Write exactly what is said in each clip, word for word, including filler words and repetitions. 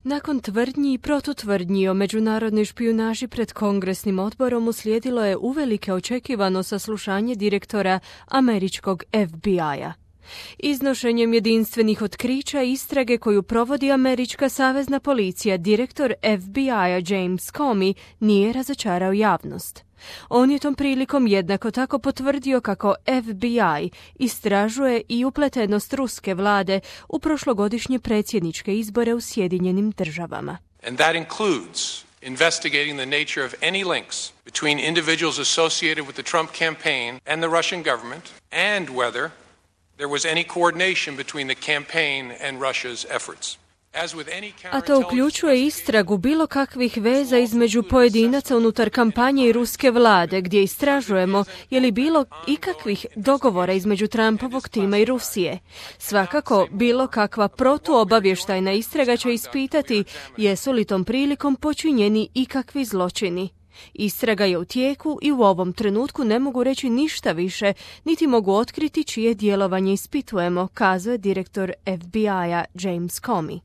Nakon tvrdnji i protutvrdnji o međunarodnoj špijunaži pred Kongresnim odborom uslijedilo je uvelike očekivano saslušanje direktora američkog F B I-a. Iznošenjem jedinstvenih otkrića istrage koju provodi američka savezna policija, direktor F B I-a James Comey nije razočarao javnost. On je tom prilikom jednako tako potvrdio kako F B I istražuje i upletenost ruske vlade u prošlogodišnje predsjedničke izbore u Sjedinjenim državama. And that includes investigating the nature of any links between individuals associated with the Trump campaign and the Russian government, and whether there was any coordination between the campaign and Russia's efforts. A to uključuje istragu bilo kakvih veza između pojedinaca unutar kampanje i ruske vlade, gdje istražujemo je li bilo ikakvih dogovora između Trumpovog tima i Rusije. Svakako, bilo kakva protuobavještajna istraga će ispitati jesu li tom prilikom počinjeni ikakvi zločini. Istraga je u tijeku i u ovom trenutku ne mogu reći ništa više, niti mogu otkriti čije djelovanje ispitujemo, kazao je direktor F B I-a James Comey.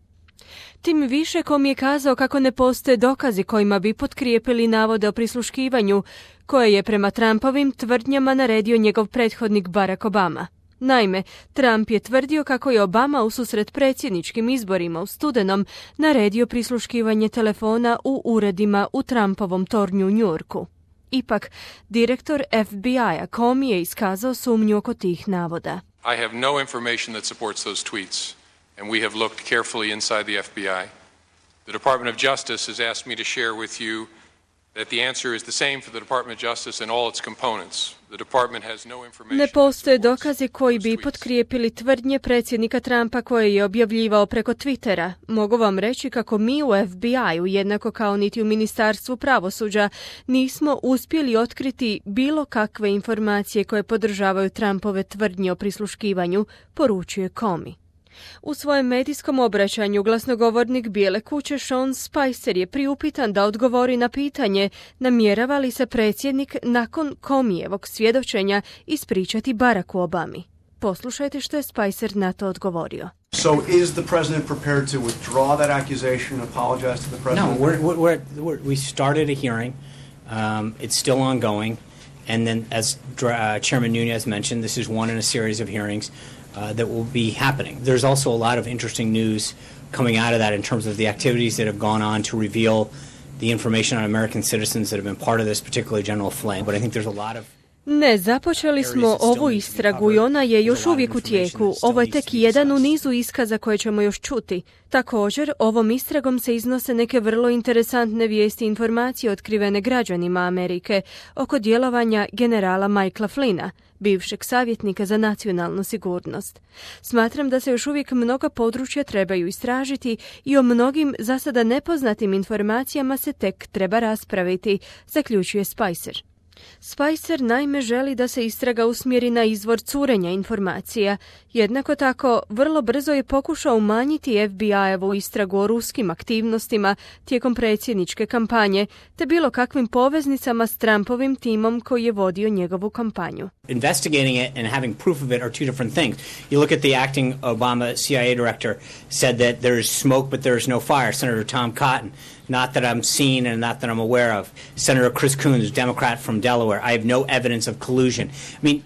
Tim više Comey je kazao kako ne postoje dokazi kojima bi potkrijepili navode o prisluškivanju, koje je prema Trumpovim tvrdnjama naredio njegov prethodnik Barack Obama. Naime, Trump je tvrdio kako je Obama ususret predsjedničkim izborima u studenom naredio prisluškivanje telefona u uredima u Trumpovom tornju u New Yorku. Ipak, direktor F B I-a Comey je iskazao sumnju oko tih navoda. I have no information that supports those tweets. And we have looked carefully inside the F B I. The Department of Justice has asked me to share with you that the answer is the same for the Department of Justice and all its components. The department has no information. Ne postoje dokazi koji bi potkrijepili tvrdnje predsjednika Trumpa koje je objavljivao preko Twittera. Mogu vam reći kako mi u F B I-u, jednako kao niti u Ministarstvu pravosuđa, nismo uspjeli otkriti bilo kakve informacije koje podržavaju Trumpove tvrdnje o prisluškivanju, poručuje Comey. U svojem medijskom obraćanju glasnogovornik Bijele kuće Sean Spicer je priupitan da odgovori na pitanje namjerava li se predsjednik nakon Comeyjevog svjedočenja ispričati Baracku Obami. Poslušajte što je Spicer na to odgovorio. So is the president prepared to withdraw that accusation, apologize to the president? No, we're, we're, we're, we started a hearing. Um, it's still ongoing. And then, as uh, Chairman Nunes mentioned, this is one in a series of hearings uh, that will be happening. There's also a lot of interesting news coming out of that in terms of the activities that have gone on to reveal the information on American citizens that have been part of this, particularly General Flynn. But I think there's a lot of Ne, započeli smo ovu istragu i ona je još uvijek u tijeku. Ovo je tek jedan u nizu iskaza koje ćemo još čuti. Također, ovom istragom se iznose neke vrlo interesantne vijesti i informacije otkrivene građanima Amerike oko djelovanja generala Michaela Flynna, bivšeg savjetnika za nacionalnu sigurnost. Smatram da se još uvijek mnoga područja trebaju istražiti i o mnogim za sada nepoznatim informacijama se tek treba raspraviti, zaključuje Spicer. Spicer naime želi da se istraga usmjeri na izvor curenja informacija. Jednako tako, vrlo brzo je pokušao umanjiti F B I-evu istragu o ruskim aktivnostima tijekom predsjedničke kampanje, te bilo kakvim poveznicama s Trumpovim timom koji je vodio njegovu kampanju. Investigating it and having proof of it are two different things. You look at the acting Obama C I A director said that there is smoke but there is no fire, Senator Tom Cotton. Not that I'm seen and not that I'm aware of. Senator Chris Coons, Democrat from Delaware. I have no evidence of collusion. I mean,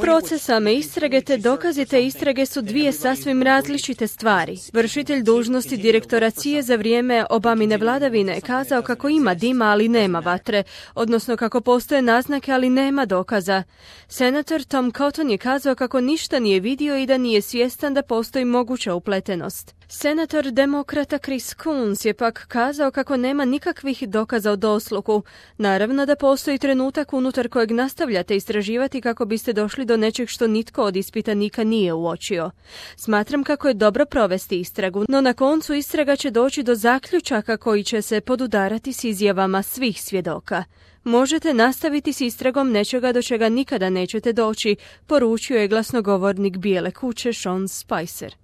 Proces same istrage te dokazi te istrage su dvije sasvim različite stvari. Vršitelj dužnosti direktora C I A za vrijeme Obamine vladavine je kazao kako ima dima, ali nema vatre, odnosno kako postoje naznake, ali nema dokaza. Senator Tom Cotton je kazao kako ništa nije vidio i da nije svjestan da postoji moguća upletenost. Senator demokrata Chris Coons je pak kazao kako nema nikakvih dokaza o dosluhu. Naravno da postoji trenutak unutar kojeg nastavljate istraživati kako biste došli do nečeg što nitko od ispitanika nije uočio. Smatram kako je dobro provesti istragu, no na koncu istraga će doći do zaključaka koji će se podudarati s izjavama svih svjedoka. Možete nastaviti s istragom nečega do čega nikada nećete doći, poručio je glasnogovornik Bijele kuće Sean Spicer.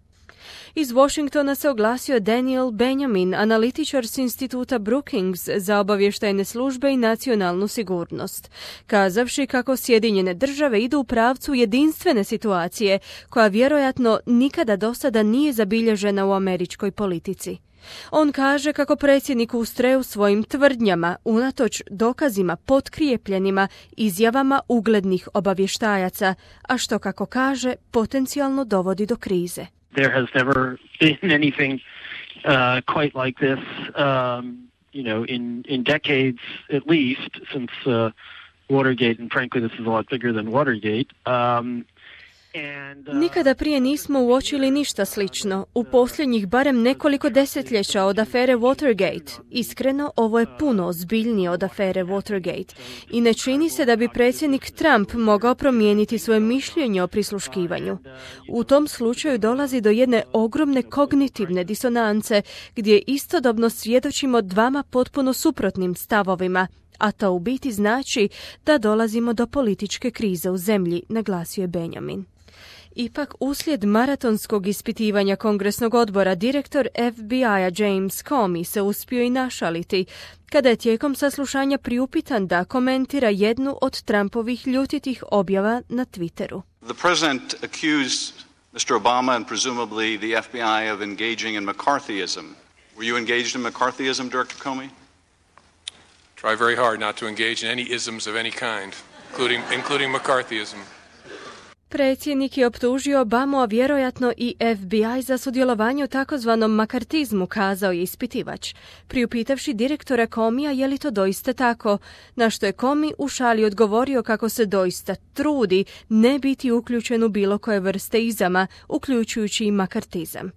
Iz Washingtona se oglasio Daniel Benjamin, analitičar s instituta Brookings za obavještajne službe i nacionalnu sigurnost, kazavši kako Sjedinjene države idu u pravcu jedinstvene situacije koja vjerojatno nikada do sada nije zabilježena u američkoj politici. On kaže kako predsjednik ustraje u svojim tvrdnjama, unatoč dokazima potkrijepljenima izjavama uglednih obavještajaca, a što, kako kaže, potencijalno dovodi do krize. There has never been anything uh, quite like this, um, you know, in, in decades at least, since uh, Watergate, and frankly this is a lot bigger than Watergate. Um, and, uh, Nikada prije nismo uočili ništa slično. U posljednjih barem nekoliko desetljeća od afere Watergate. Iskreno, ovo je puno ozbiljnije od afere Watergate. I ne čini se da bi predsjednik Trump mogao promijeniti svoje mišljenje o prisluškivanju. U tom slučaju dolazi do jedne ogromne kognitivne disonance, gdje istodobno svjedočimo dvama potpuno suprotnim stavovima, a to u biti znači da dolazimo do političke krize u zemlji, naglasio je Benjamin. Ipak, uslijed maratonskog ispitivanja Kongresnog odbora, direktor F B I-a James Comey se uspio i našaliti, kada je tijekom saslušanja priupitan da komentira jednu od Trumpovih ljutitih objava na Twitteru. The president accused mister Obama and presumably the F B I of engaging in McCarthyism. Were you engaged in McCarthyism, Director Comey? Try very hard not to engage in any isms of any kind, including, including McCarthyism. Predsjednik je optužio Obamu, a vjerojatno i F B I za sudjelovanje u takozvanom makartizmu, kazao je ispitivač, priupitavši direktora Comeyja je li to doista tako, na što je Comey u šali odgovorio kako se doista trudi ne biti uključen u bilo koje vrste izama, uključujući i makartizam.